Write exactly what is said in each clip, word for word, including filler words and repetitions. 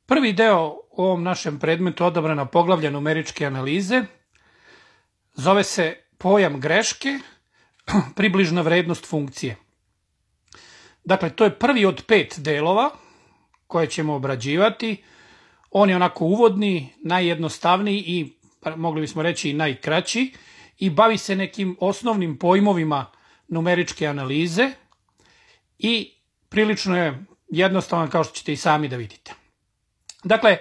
Prvi deo u ovom našem predmetu odabrana poglavlja numeričke analize zove se pojam greške, približna vrednost funkcije. Dakle, to je prvi od pet delova koje ćemo obrađivati. On je onako uvodni, najjednostavniji i, mogli bismo reći, i najkraći i bavi se nekim osnovnim pojmovima numeričke analize i prilično je jednostavan, kao što ćete i sami da vidite. Dakle,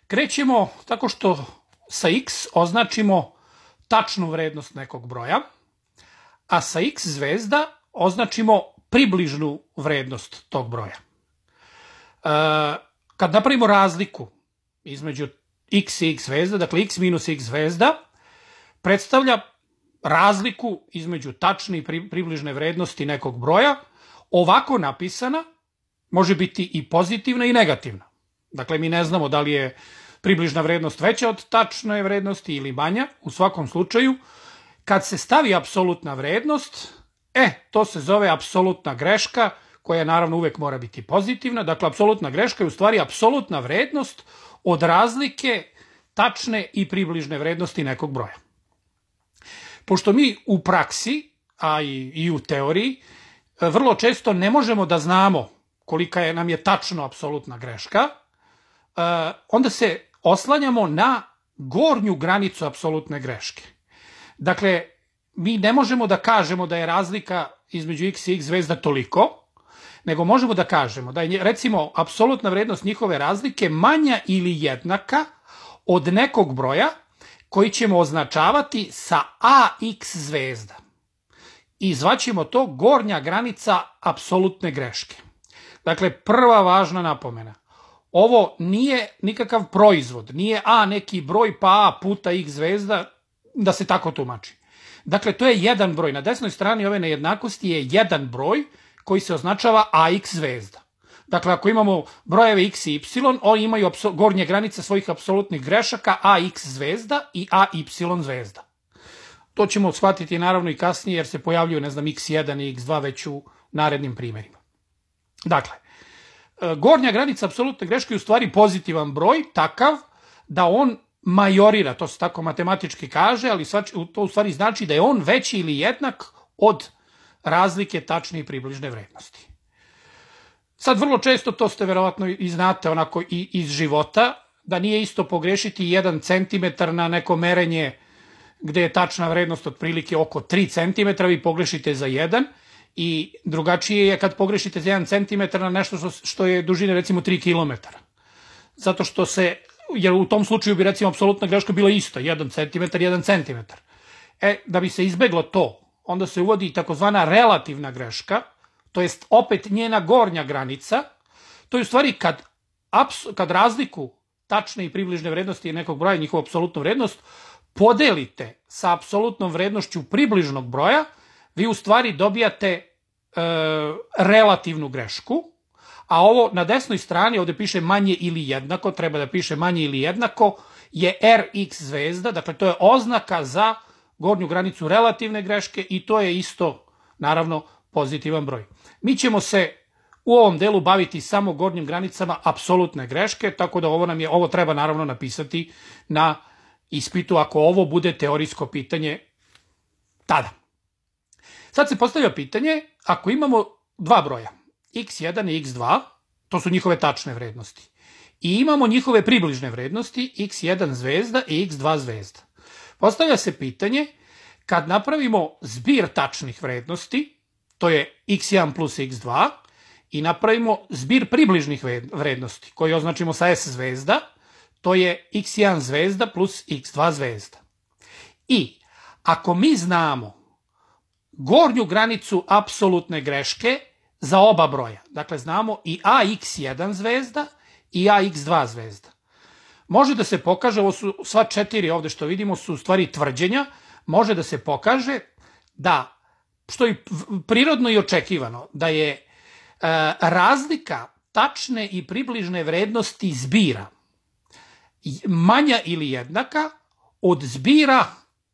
krećemo tako što sa x označimo tačnu vrednost nekog broja, a sa x zvezda označimo približnu vrednost tog broja. E, kad napravimo razliku između x i x zvezda, dakle x minus x zvezda, predstavlja razliku između tačne i približne vrednosti nekog broja. Ovako napisana može biti i pozitivna i negativna. Dakle, mi ne znamo da li je približna vrednost veća od tačne vrednosti ili manja. U svakom slučaju, kad se stavi apsolutna vrednost, e, to se zove apsolutna greška, koja naravno uvek mora biti pozitivna. Dakle, apsolutna greška je u stvari apsolutna vrednost od razlike tačne i približne vrednosti nekog broja. Pošto mi u praksi, a i, i u teoriji, vrlo često ne možemo da znamo kolika je, nam je tačno apsolutna greška, onda se oslanjamo na gornju granicu apsolutne greške. Dakle, mi ne možemo da kažemo da je razlika između x i x zvezda toliko, nego možemo da kažemo da je, recimo, apsolutna vrednost njihove razlike manja ili jednaka od nekog broja koji ćemo označavati sa ax zvezda. I zvaćemo to gornja granica apsolutne greške. Dakle, prva važna napomena. Ovo nije nikakav proizvod, nije a neki broj pa a puta x zvezda, da se tako tumači. Dakle, to je jedan broj. Na desnoj strani ove nejednakosti je jedan broj koji se označava ax zvezda. Dakle, ako imamo brojeve x i y, oni imaju gornje granice svojih apsolutnih grešaka ax zvezda i ay zvezda. To ćemo shvatiti naravno i kasnije jer se pojavljuju, ne znam, x jedan i x dva već u narednim primjerima. Dakle, gornja granica apsolutne greške je u stvari pozitivan broj, takav da on majorira, to se tako matematički kaže, ali to u stvari znači da je on veći ili jednak od razlike tačne i približne vrednosti. Sad, vrlo često, to ste verovatno i znate onako i iz života, da nije isto pogrešiti jedan centimetar na neko merenje gde je tačna vrednost otprilike oko tri centimetra, vi pogrešite za jedan, i drugačije je kad pogrešite za jedan centimetar na nešto što, što je dužine recimo tri kilometara. Zato što se, jer u tom slučaju bi recimo apsolutna greška bila isto, jedan centimetar, jedan centimetar. E, da bi se izbeglo to, onda se uvodi takozvana relativna greška, to jest opet njena gornja granica. To je u stvari kad, kad razliku tačne i približne vrednosti nekog broja, njihovu apsolutnu vrednost, podelite sa apsolutnom vrednošću približnog broja, vi u stvari dobijate e, relativnu grešku, a ovo na desnoj strani, ovde piše manje ili jednako, treba da piše manje ili jednako, je rx zvezda, dakle to je oznaka za gornju granicu relativne greške i to je isto, naravno, pozitivan broj. Mi ćemo se u ovom delu baviti samo gornjim granicama apsolutne greške, tako da ovo, nam je, ovo treba naravno napisati na ispitu ako ovo bude teorijsko pitanje tada. Sad se postavlja pitanje, ako imamo dva broja, x jedan i x dva, to su njihove tačne vrednosti, i imamo njihove približne vrednosti, x jedan zvezda i x dva zvezda. Postavlja se pitanje, kad napravimo zbir tačnih vrednosti, to je x jedan plus x dva, i napravimo zbir približnih vrednosti, koji označimo sa s zvezda, to je x jedan zvezda plus x dva zvezda. I ako mi znamo gornju granicu apsolutne greške za oba broja, dakle znamo i ax jedan zvezda i ax dva zvezda, može da se pokaže, ovo su sva četiri ovde što vidimo su u stvari tvrđenja, može da se pokaže da, što je prirodno i očekivano, da je e, razlika tačne i približne vrednosti zbira manja ili jednaka od zbira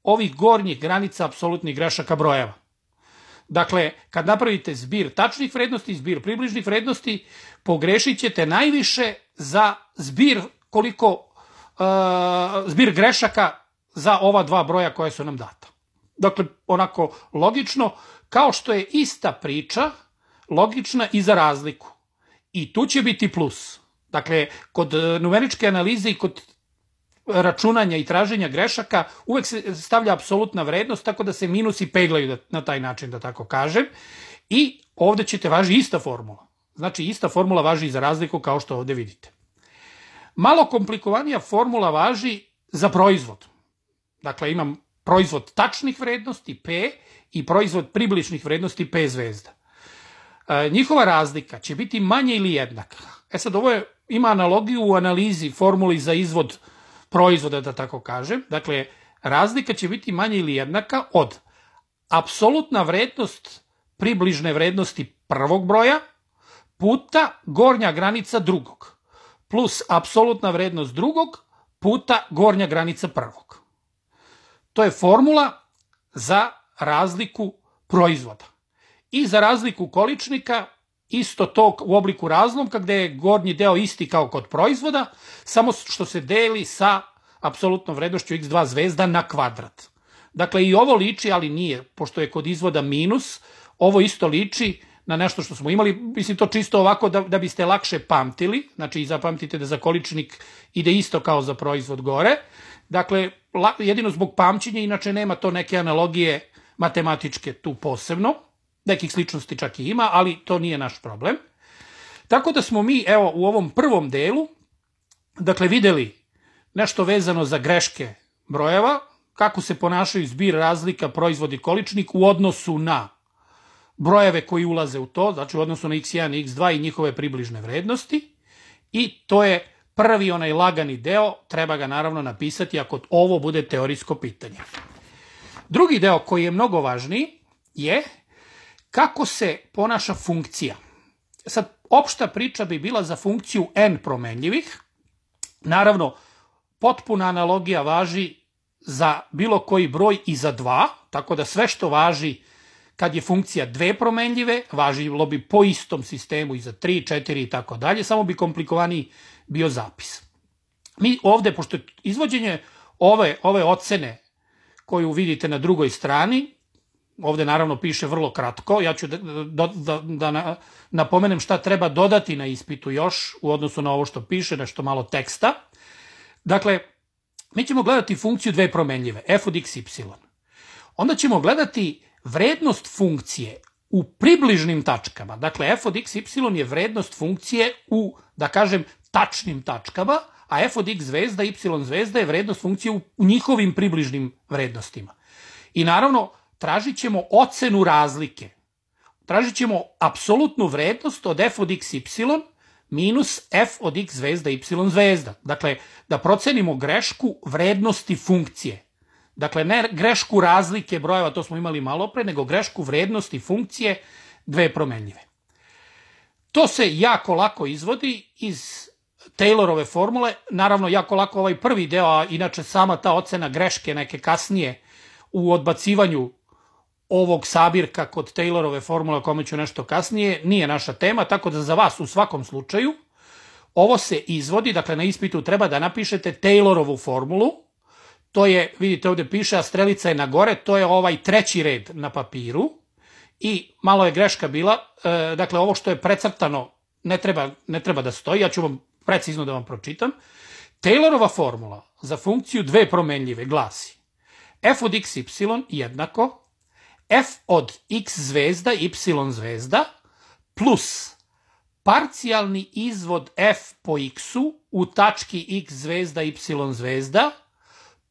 ovih gornjih granica apsolutnih grešaka brojeva. Dakle, kad napravite zbir tačnih vrednosti, zbir približnih vrednosti, pogrešit ćete najviše za zbir koliko uh, zbir grešaka za ova dva broja koja su nam data. Dakle, onako logično, kao što je ista priča logična i za razliku. I tu će biti plus. Dakle, kod numeričke analize i kod računanja i traženja grešaka uvek se stavlja apsolutna vrednost, tako da se minusi peglaju na taj način, da tako kažem. I ovde ćete važi ista formula. Znači, ista formula važi i za razliku, kao što ovde vidite. Malo komplikovanija formula važi za proizvod. Dakle, imam proizvod tačnih vrednosti P i proizvod približnih vrednosti P zvezda. E, njihova razlika će biti manje ili jednaka. E sad, ovo je, ima analogiju u analizi formuli za izvod proizvoda, da tako kažem. Dakle, razlika će biti manje ili jednaka od apsolutna vrednost približne vrednosti prvog broja puta gornja granica drugog, plus apsolutna vrednost drugog puta gornja granica prvog. To je formula za razliku proizvoda. I za razliku količnika, isto to u obliku razlomka, gde je gornji deo isti kao kod proizvoda, samo što se deli sa apsolutnom vrednošću x dva zvezda na kvadrat. Dakle, i ovo liči, ali nije, pošto je kod izvoda minus, ovo isto liči na nešto što smo imali, mislim to čisto ovako da, da biste lakše pamtili, znači i zapamtite da za količnik ide isto kao za proizvod gore. Dakle, jedino zbog pamćenja, inače nema to neke analogije matematičke tu posebno, nekih sličnosti čak i ima, ali to nije naš problem. Tako da smo mi, evo, u ovom prvom delu, dakle, videli nešto vezano za greške brojeva, kako se ponašaju zbir, razlika, proizvod i količnik u odnosu na brojeve koji ulaze u to, znači u odnosu na x jedan i x dva i njihove približne vrednosti. I to je prvi onaj lagani deo, treba ga naravno napisati ako ovo bude teorijsko pitanje. Drugi deo koji je mnogo važniji je kako se ponaša funkcija. Sad, opšta priča bi bila za funkciju n promenljivih. Naravno, potpuna analogija važi za bilo koji broj i za dva, tako da sve što važi kad je funkcija dve promenljive, važilo bi po istom sistemu i za tri, četiri i tako dalje, samo bi komplikovaniji bio zapis. Mi ovde, pošto je izvođenje ove, ove ocene koju vidite na drugoj strani, ovde naravno piše vrlo kratko, ja ću da, da, da, da napomenem šta treba dodati na ispitu još u odnosu na ovo što piše, nešto malo teksta. Dakle, mi ćemo gledati funkciju dve promenljive, f od x, y. Onda ćemo gledati vrednost funkcije u približnim tačkama. Dakle, f od x, y je vrednost funkcije u, da kažem, tačnim tačkama, a f od x zvezda, y zvezda je vrednost funkcije u njihovim približnim vrednostima. I naravno, tražit ćemo ocenu razlike. Tražit ćemo apsolutnu vrednost od f od x, y minus f od x zvezda, y zvezda. Dakle, da procenimo grešku vrednosti funkcije. Dakle, ne grešku razlike brojeva, to smo imali malo pre, nego grešku vrednosti funkcije dve promenljive. To se jako lako izvodi iz Taylorove formule. Naravno, jako lako ovaj prvi deo, a inače sama ta ocena greške neke kasnije u odbacivanju ovog sabirka kod Taylorove formule, o kome ću nešto kasnije, nije naša tema, tako da za vas u svakom slučaju ovo se izvodi, dakle na ispitu treba da napišete Taylorovu formulu. To je, vidite ovde piše, a strelica je na gore, to je ovaj treći red na papiru i malo je greška bila, e, dakle ovo što je precrtano ne treba, ne treba da stoji, ja ću vam precizno da vam pročitam. Taylorova formula za funkciju dve promenljive glasi f od x, y jednako f od x zvezda, y zvezda plus parcijalni izvod f po x-u u tački x zvezda, y zvezda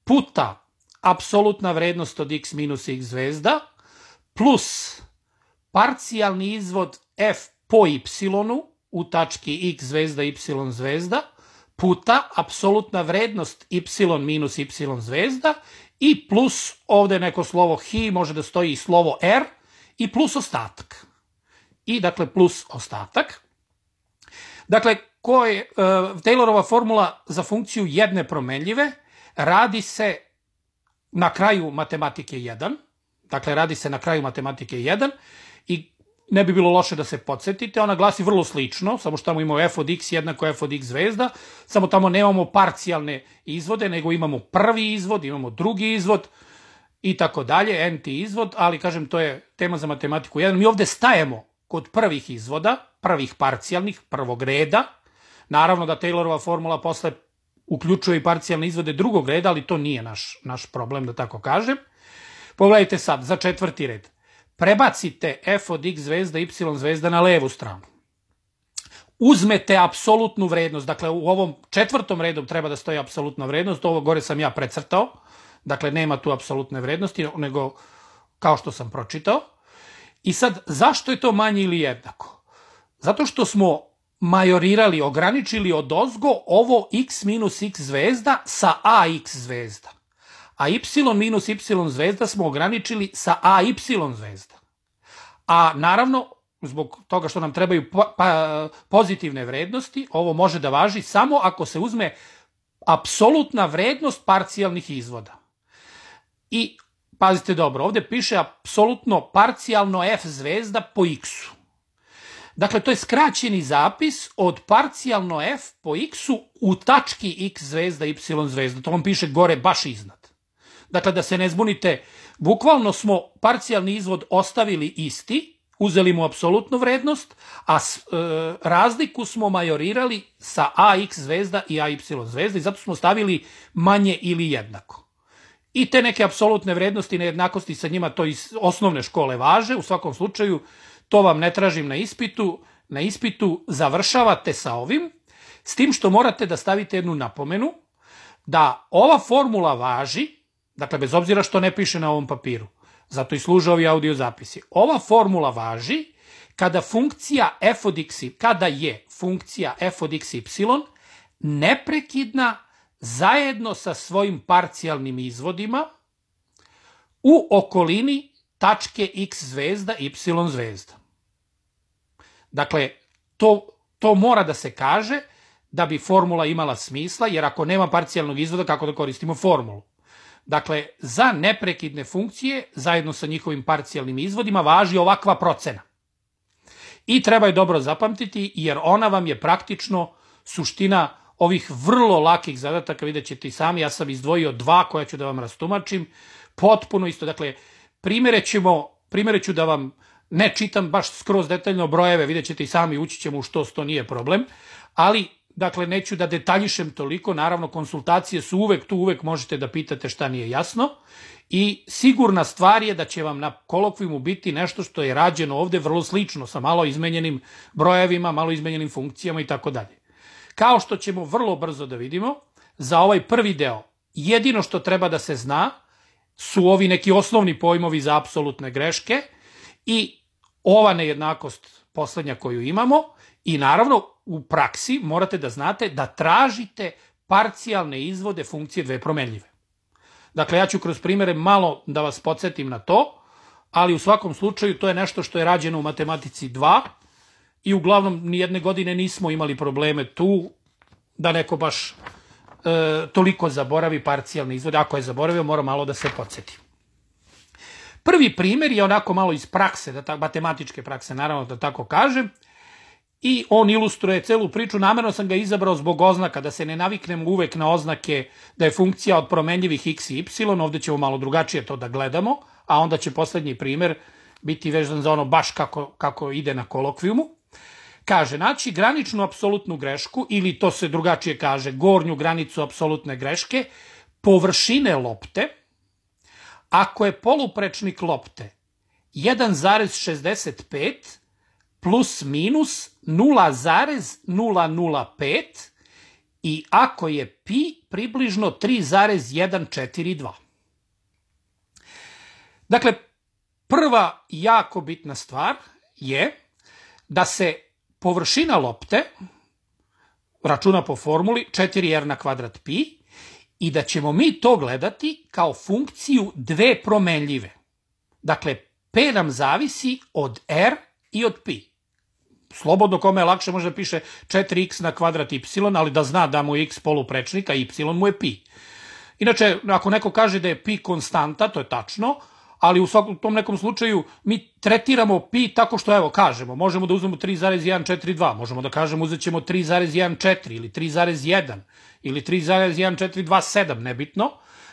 puta apsolutna vrednost od x minus x zvezda plus parcijalni izvod f po y-u u tački x zvezda, y zvezda puta apsolutna vrednost y minus y zvezda i plus ovde neko slovo hi, može da stoji i slovo r i plus ostatak. I dakle plus ostatak. Dakle, ko je uh, Taylorova formula za funkciju jedne promenljive, radi se na kraju matematike jedan, dakle radi se na kraju matematike jedan i ne bi bilo loše da se podsjetite, ona glasi vrlo slično, samo što tamo imamo f od x jednako f od x zvezda, samo tamo nemamo parcijalne izvode, nego imamo prvi izvod, imamo drugi izvod i tako dalje, nth izvod, ali kažem, to je tema za matematiku jedan. Mi ovde stajemo kod prvih izvoda, prvih parcijalnih, prvog reda. Naravno da Taylorova formula posle uključuje i parcijalne izvode drugog reda, ali to nije naš, naš problem, da tako kažem. Pogledajte sad, za četvrti red. Prebacite f od x zvezda, y zvezda na levu stranu. Uzmete apsolutnu vrednost, dakle u ovom četvrtom redu treba da stoji apsolutna vrednost, ovo gore sam ja precrtao, dakle nema tu apsolutne vrednosti, nego kao što sam pročitao. I sad, zašto je to manje ili jednako? Zato što smo majorirali, ograničili odozgo ovo x minus x zvezda sa ax zvezda. A y minus y zvezda smo ograničili sa ay zvezda. A naravno, zbog toga što nam trebaju po, pa, pozitivne vrednosti, ovo može da važi samo ako se uzme apsolutna vrednost parcijalnih izvoda. I pazite dobro, ovde piše apsolutno parcijalno f zvezda po x-u. Dakle, to je skraćeni zapis od parcijalno f po x-u u tački x zvezda, y zvezda. To vam piše gore baš iznad. Dakle, da se ne zbunite, bukvalno smo parcijalni izvod ostavili isti, uzeli mu apsolutnu vrednost, a e, razliku smo majorirali sa ax zvezda i ay zvezda i zato smo stavili manje ili jednako. I te neke apsolutne vrednosti nejednakosti sa njima to iz osnovne škole važe, u svakom slučaju to vam ne tražim na ispitu, na ispitu završavate sa ovim, s tim što morate da stavite jednu napomenu, da ova formula važi, dakle bez obzira što ne piše na ovom papiru, zato i služe ovi audio zapisi, ova formula važi kada funkcija f od x, kada je funkcija f od xy neprekidna zajedno sa svojim parcijalnim izvodima u okolini tačke x zvezda, y zvezda. Dakle, to, to mora da se kaže da bi formula imala smisla, jer ako nema parcijalnog izvoda, kako da koristimo formulu? Dakle, za neprekidne funkcije, zajedno sa njihovim parcijalnim izvodima, važi ovakva procena. I treba je dobro zapamtiti, jer ona vam je praktično suština ovih vrlo lakih zadataka, vidjet ćete i sami, ja sam izdvojio dva koja ću da vam rastumačim, potpuno isto, dakle, primjere ćemo, primjere ću da vam ne čitam baš skroz detaljno brojeve, vidjet ćete i sami, ući ćemo u što sto nije problem, ali, dakle, neću da detaljišem toliko, naravno, konsultacije su uvek tu, uvek možete da pitate šta nije jasno i sigurna stvar je da će vam na kolokvijumu biti nešto što je rađeno ovde vrlo slično, sa malo izmenjenim brojevima, malo izmenjenim funkcijama i tako dalje. Kao što ćemo vrlo brzo da vidimo, za ovaj prvi deo jedino što treba da se zna su ovi neki osnovni pojmovi za apsolutne greške i ova nejednakost poslednja koju imamo i naravno u praksi morate da znate da tražite parcijalne izvode funkcije dve promenljive. Dakle, ja ću kroz primere malo da vas podsjetim na to, ali u svakom slučaju to je nešto što je rađeno u matematici dva, i uglavnom nijedne godine nismo imali probleme tu da neko baš e, toliko zaboravi parcijalne izvode. Ako je zaboravio, mora malo da se podsjeti. Prvi primjer je onako malo iz prakse, da ta, matematičke prakse, naravno da tako kažem, i on ilustruje celu priču. Namerno sam ga izabrao zbog oznaka, da se ne naviknemo uvek na oznake da je funkcija od promenljivih x i y, ovde ćemo malo drugačije to da gledamo, a onda će poslednji primjer biti vezan za ono baš kako, kako ide na kolokvijumu. Kaže, naći graničnu apsolutnu grešku, ili to se drugačije kaže, gornju granicu apsolutne greške, površine lopte, ako je poluprečnik lopte jedan zarez šezdeset pet plus minus nula zarez nula nula pet i ako je pi približno tri zarez jedan četiri dva. Dakle, prva jako bitna stvar je da se površina lopte računa po formuli četiri r na kvadrat pi i da ćemo mi to gledati kao funkciju dve promenljive. Dakle, p nam zavisi od r i od pi. Slobodno kome je lakše može da piše četiri x na kvadrat y, ali da zna da mu je x poluprečnik, a y mu je pi. Inače, ako neko kaže da je pi konstanta, to je tačno, ali u svakom tom nekom slučaju mi tretiramo pi tako što, evo, kažemo, možemo da uzmemo tri zarez jedan četiri dva, možemo da kažemo uzet ćemo tri zarez jedan četiri ili tri zarez jedan ili tri zarez jedan četiri dva sedam, nebitno.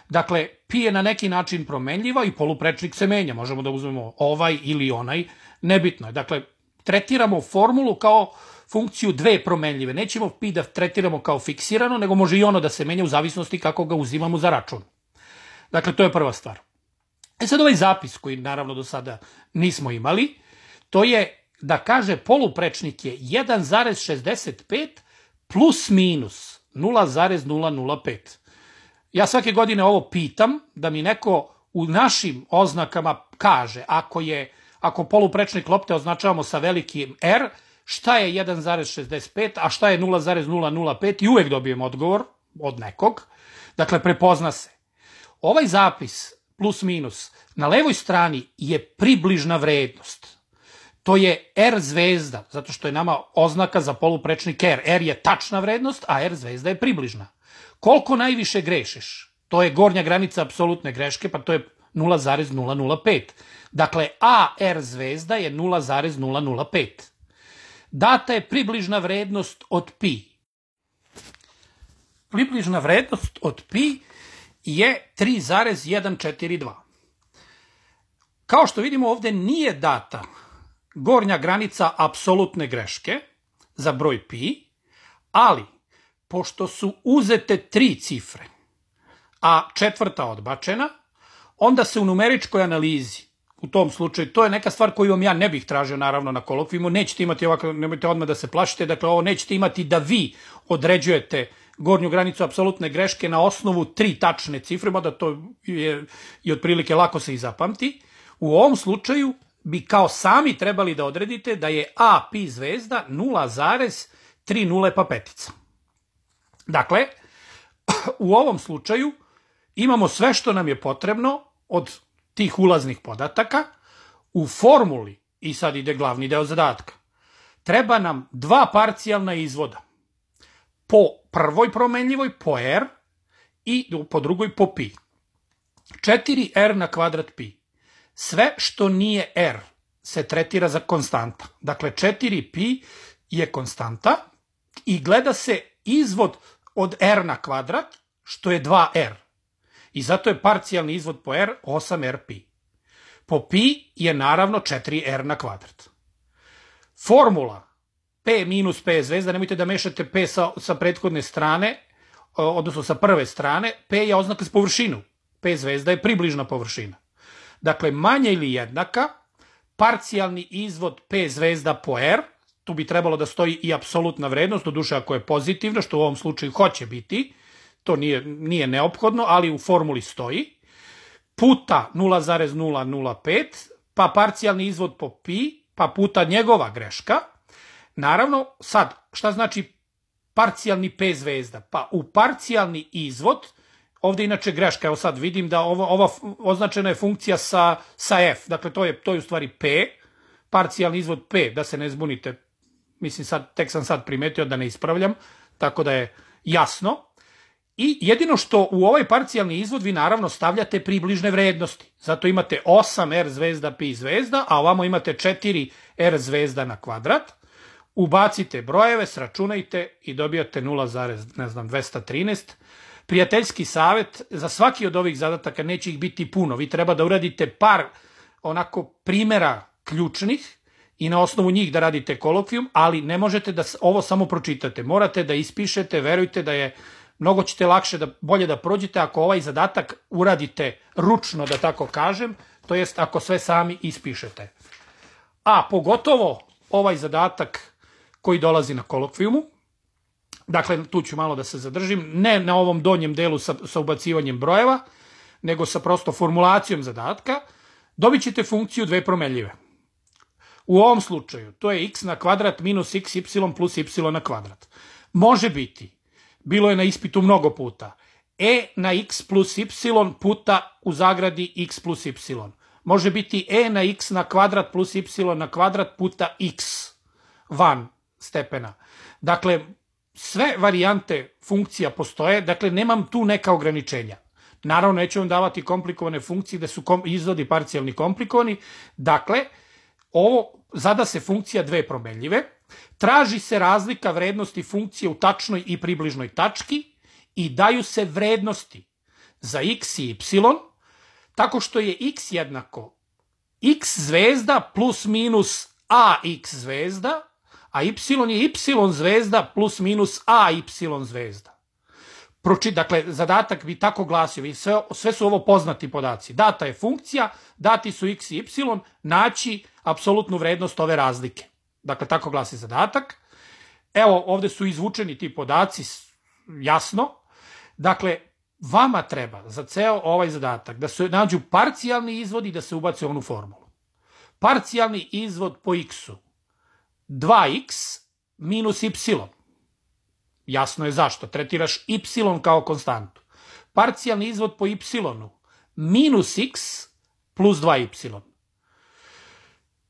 Dakle, pi je na neki način promenljiva i poluprečnik se menja, možemo da uzmemo ovaj ili onaj, nebitno je. Dakle, tretiramo formulu kao funkciju dve promenljive, nećemo pi da tretiramo kao fiksirano, nego može i ono da se menja u zavisnosti kako ga uzimamo za račun. Dakle, to je prva stvar. E sad ovaj zapis koji naravno do sada nismo imali, to je da kaže poluprečnik je jedan zarez šezdeset pet plus minus nula zarez nula nula pet. Ja svake godine ovo pitam da mi neko u našim oznakama kaže ako je, ako poluprečnik lopte označavamo sa velikim R, šta je jedan zarez šezdeset pet, a šta je nula zarez nula nula pet i uvek dobijem odgovor od nekog. Dakle, prepozna se. Ovaj zapis plus minus na levoj strani je približna vrednost. To je R zvezda, zato što je nama oznaka za poluprečnik R. R je tačna vrednost, a R zvezda je približna. Koliko najviše grešiš? To je gornja granica apsolutne greške, pa to je nula zarez nula nula pet. Dakle, A R zvezda je nula zarez nula nula pet. Data je približna vrednost od pi. Približna vrednost od pi je tri zarez jedan četiri dva. Kao što vidimo, ovde nije data gornja granica apsolutne greške za broj pi, ali pošto su uzete tri cifre, a četvrta odbačena, onda se u numeričkoj analizi, u tom slučaju, to je neka stvar koju vam ja ne bih tražio naravno na kolokvijumu, nećete imati ovako, nemojte odmah da se plašite, dakle ovo nećete imati da vi određujete gornju granicu apsolutne greške na osnovu tri tačne cifre, mada to je i otprilike lako se i zapamti. U ovom slučaju bi kao sami trebali da odredite da je A pi zvezda nula zarez tri nule pa petica. Dakle, u ovom slučaju imamo sve što nam je potrebno od tih ulaznih podataka. U formuli, i sad ide glavni deo zadatka, treba nam dva parcijalna izvoda. Po prvoj promenljivoj, po R, i po drugoj po pi. četiri R na kvadrat pi. Sve što nije R se tretira za konstanta. Dakle, četiri pi je konstanta i gleda se izvod od R na kvadrat, što je dva R. I zato je parcijalni izvod po R osam R pi. Po pi je naravno četiri R na kvadrat. Formula P minus P zvezda, nemojte da mešate P sa, sa prethodne strane, odnosno sa prve strane, P je oznaka s površinu. P zvezda je približna površina. Dakle, manja ili jednaka, parcijalni izvod P zvezda po R, tu bi trebalo da stoji i apsolutna vrednost, doduše ako je pozitivna, što u ovom slučaju hoće biti, to nije, nije neophodno, ali u formuli stoji, puta nula zarez nula nula pet, pa parcijalni izvod po pi, pa puta njegova greška. Naravno, sad, šta znači parcijalni P zvezda? Pa u parcijalni izvod, ovde inače greška, evo sad vidim da ovo, ova označena je funkcija sa, sa F, dakle to je, to je u stvari P, parcijalni izvod P, da se ne zbunite, mislim sad, tek sam sad primetio da ne ispravljam, tako da je jasno. I jedino što u ovaj parcijalni izvod vi naravno stavljate približne vrednosti. Zato imate osam R zvezda pi zvezda, a ovamo imate četiri R zvezda na kvadrat. Ubacite brojeve, sračunajte i dobijate nula zarez dvesta trinaest. Prijateljski savjet, za svaki od ovih zadataka neće ih biti puno. Vi treba da uradite par onako primjera ključnih i na osnovu njih da radite kolokvijum, ali ne možete da ovo samo pročitate. Morate da ispišete, verujte da je mnogo ćete lakše, da, bolje da prođete ako ovaj zadatak uradite ručno, da tako kažem, to jest ako sve sami ispišete. A pogotovo ovaj zadatak koji dolazi na kolokvijumu, dakle tu ću malo da se zadržim, ne na ovom donjem delu sa, sa ubacivanjem brojeva, nego sa prosto formulacijom zadatka, dobit ćete funkciju dve promenljive. U ovom slučaju to je x na kvadrat minus xy plus y na kvadrat. Može biti, bilo je na ispitu mnogo puta, e na x plus y puta u zagradi x plus y. Može biti e na x na kvadrat plus y na kvadrat puta x van stepena. Dakle, sve varijante funkcija postoje, dakle nemam tu neka ograničenja. Naravno, neću vam davati komplikovane funkcije da su izvodi parcijalni komplikovani. Dakle, ovo zada se funkcija dve promenljive, traži se razlika vrednosti funkcije u tačnoj i približnoj tački i daju se vrednosti za x i y, tako što je x jednako x zvezda plus minus ax zvezda, a y je y zvezda plus minus ay zvezda. Proči, dakle, zadatak bi tako glasio, sve, sve su ovo poznati podaci. Data je funkcija, dati su x i y, naći apsolutnu vrednost ove razlike. Dakle, tako glasi zadatak. Evo, ovde su izvučeni ti podaci, jasno. Dakle, vama treba za ceo ovaj zadatak da se nađu parcijalni izvodi i da se ubace u onu formulu. Parcijalni izvod po x-u dva x minus y. Jasno je zašto. Tretiraš y kao konstantu. Parcijalni izvod po y minus x plus dva y.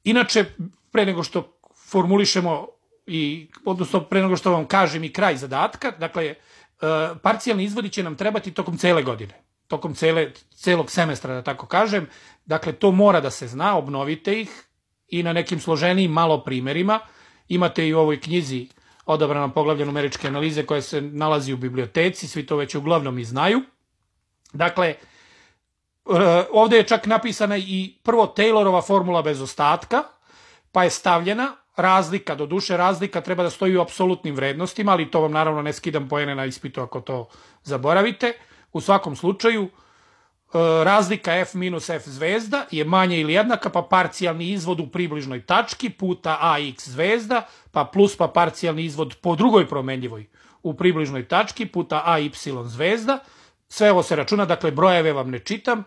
Inače, pre nego što formulišemo, i, odnosno pre nego što vam kažem i kraj zadatka, dakle, parcijalni izvodi će nam trebati tokom cele godine, tokom cele, celog semestra, da tako kažem. Dakle, to mora da se zna, obnovite ih i na nekim složenijim malo primerima. Imate i u ovoj knjizi Odabrana poglavlja numeričke analize koja se nalazi u biblioteci, svi to već uglavnom i znaju. Dakle, ovde je čak napisana i prvo Taylorova formula bez ostatka, pa je stavljena razlika, do duše razlika treba da stoji u apsolutnim vrednostima, ali to vam naravno ne skidam poene na ispitu ako to zaboravite. U svakom slučaju, razlika f minus f zvezda je manje ili jednaka, pa parcijalni izvod u približnoj tački puta ax zvezda, pa plus pa parcijalni izvod po drugoj promenljivoj u približnoj tački puta ay zvezda. Sve ovo se računa, dakle brojeve vam ne čitam.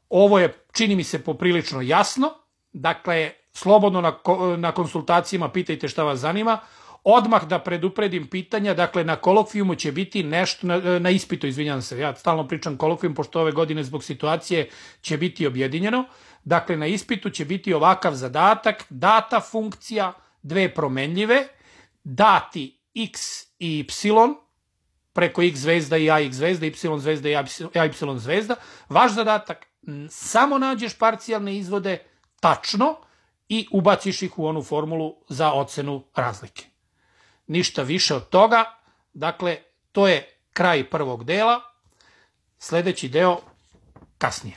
Ovo je, čini mi se, poprilično jasno. Dakle, slobodno na, na konsultacijama pitajte šta vas zanima. Odmah da predupredim pitanja, dakle na kolokvijumu će biti nešto, na, na ispitu, izvinjam se, ja stalno pričam kolokvijum, pošto ove godine zbog situacije će biti objedinjeno. Dakle, na ispitu će biti ovakav zadatak, data funkcija, dve promenljive, dati x i y, preko x zvezda i ax zvezda, y zvezda i ay zvezda. Vaš zadatak, samo nađeš parcijalne izvode tačno i ubaciš ih u onu formulu za ocenu razlike. Ništa više od toga. Dakle, to je kraj prvog dela. Sledeći deo kasnije.